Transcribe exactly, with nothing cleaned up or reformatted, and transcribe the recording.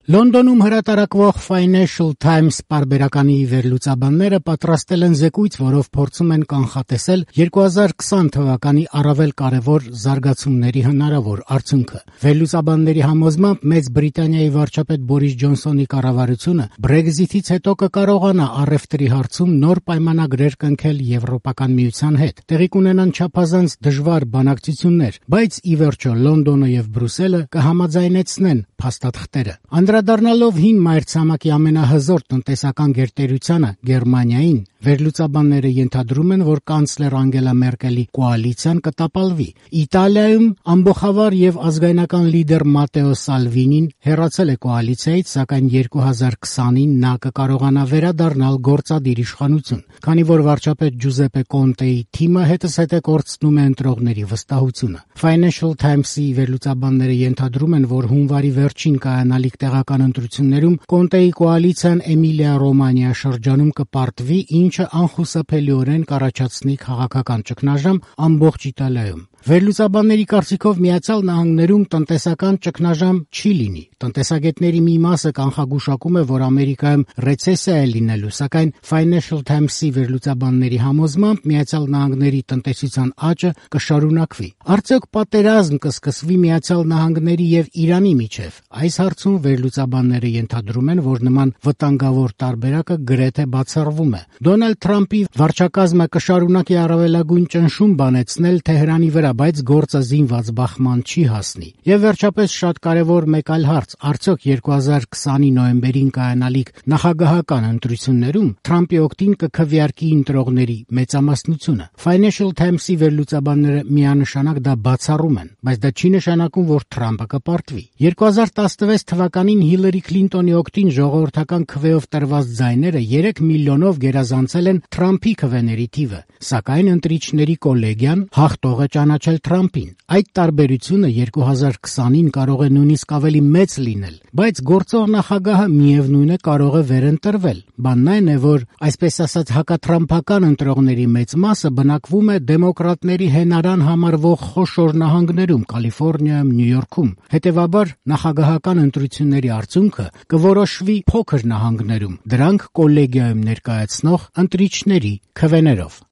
Լոնդոնում հրատարակվող Financial Times պարբերականի վերլուծաբանները պատրաստել են զեկույց, որով փորձում են կանխատեսել երկու հազար քսան թվականի առավել կարևոր զարգացումների հնարավոր արդյունքը։ Վերլուծաբանների համոզմամբ Մեծ Բրիտանիայի վարչապետ Բորիս Ջոնսոնի կառավարությունը Brexit-ից հետո կկարողանա առևտրի հարցում նոր պայմանագրեր կնքել Եվրոպական միության հետ։ Տեղի կունենան չափազանց դժվար բանակցություններ, բայց ի վերջո Լոնդոնը եւ Բրյուսելը կհամաձայնեցնեն փաստաթղթերը։ Անդրադառնալով հին մայրցամաքի ամենահզոր տնտեսական գերտերությանը Գերմանիային, վերլուծաբանները ենթադրում են, որ կանցլեր Անգելա Մերկելի կոալիցիան կտապալվի։ Իտալիայում ամբողջավար եւ ազգայնական լիդեր Մատեո Սալվինին հեռացել է կոալիցիայից, սակայն երկու հազար քսանին նա կկարողանա վերադառնալ գործադիր իշխանություն, քանի որ վարչապետ Ջուզեպե Կոնտեի թիմը հետզհետե կորցնում է ընտրողների վստահությունը։ Financial Times-ի վերլուծաբանները ենթադրում են, որ հունվարի վերջին կայանալիք տեղական ընտրություններում Կոնտեի կոալիցիան Էմիլիա-Ռոմանիա շրջանում կպարտվի, ինչը անխուսափելիորեն կառաջացնի քաղաքական ճգնաժամ ամբողջ Իտալիայում։ Վերլուծաբանների կարծիքով Միացյալ Նահանգներում տնտեսական ճգնաժամ չի լինի։ Տնտեսագետների մի մասը կանխագուշակում է, որ Ամերիկայում ռեցեսիա է լինելու, սակայն Financial Times-ի վերլուծաբանների համոզմամբ Միացյալ Նահանգների տնտեսության աճը կշարունակվի։ Արդյոք պատերազմ կսկսվի Միացյալ Նահանգների եւ Իրանի միջև։ Այս հարցում վերլուծաբանները ենթադրում են, որ նման վտանգավոր տարբերակը գրեթե բացառվում է։ Դոնալդ Թրամփի վարչակազմը կշարունակի առավելագույն ճնշում բանեցնել Թեհրանի վրա, բայց գործը զինված բախման չի հասնի։ Եվ վերջապես շատ կարևոր մեկ այլ հարց. արդյոք երկու հազար քսանի նոյեմբերին կայանալիք նախագահական ընտրություններում Թրամփի օգտին կքվեարկի ընտրողների մեծամասնությունը։ Financial Times-ի վերլուծաբանները միանշանակ դա բացառում են, բայց դա չի նշանակում, որ Թրամփը կպարտվի։ երկու հազար տասնվեց թվականին Հիլարի Քլինտոնի օգտին ժողովրդական քվեով տրված ձայները երեք միլիոնով գերազանցել են Թրամփի քվեների թիվը, սակայն ընտրիչների կոլեգիան հաղթող է ճանաչել Թրամփին։ Այդ տարբերությունը երկու հազար քսանին կարող է նույնիսկ ավելի մեծ լինել, բայց գործող նախագահը միևնույն է կարող է վերընտրվել։ Բանն այն է, որ այսպես ասած հակաթրամփական ընտրողների մեծ մասը բնակվում է դեմոկրատների հենարան համարվող խոշոր նահանգներում՝ Կալիֆոռնիայում, Նյու Յորքում։ Հետևաբար նախագահական ընտրությունների արդյունքը կորոշվի փոքր նահանգներում, դրանք կոլեգիայում ներկայացնող ընտրիչների քվեներով։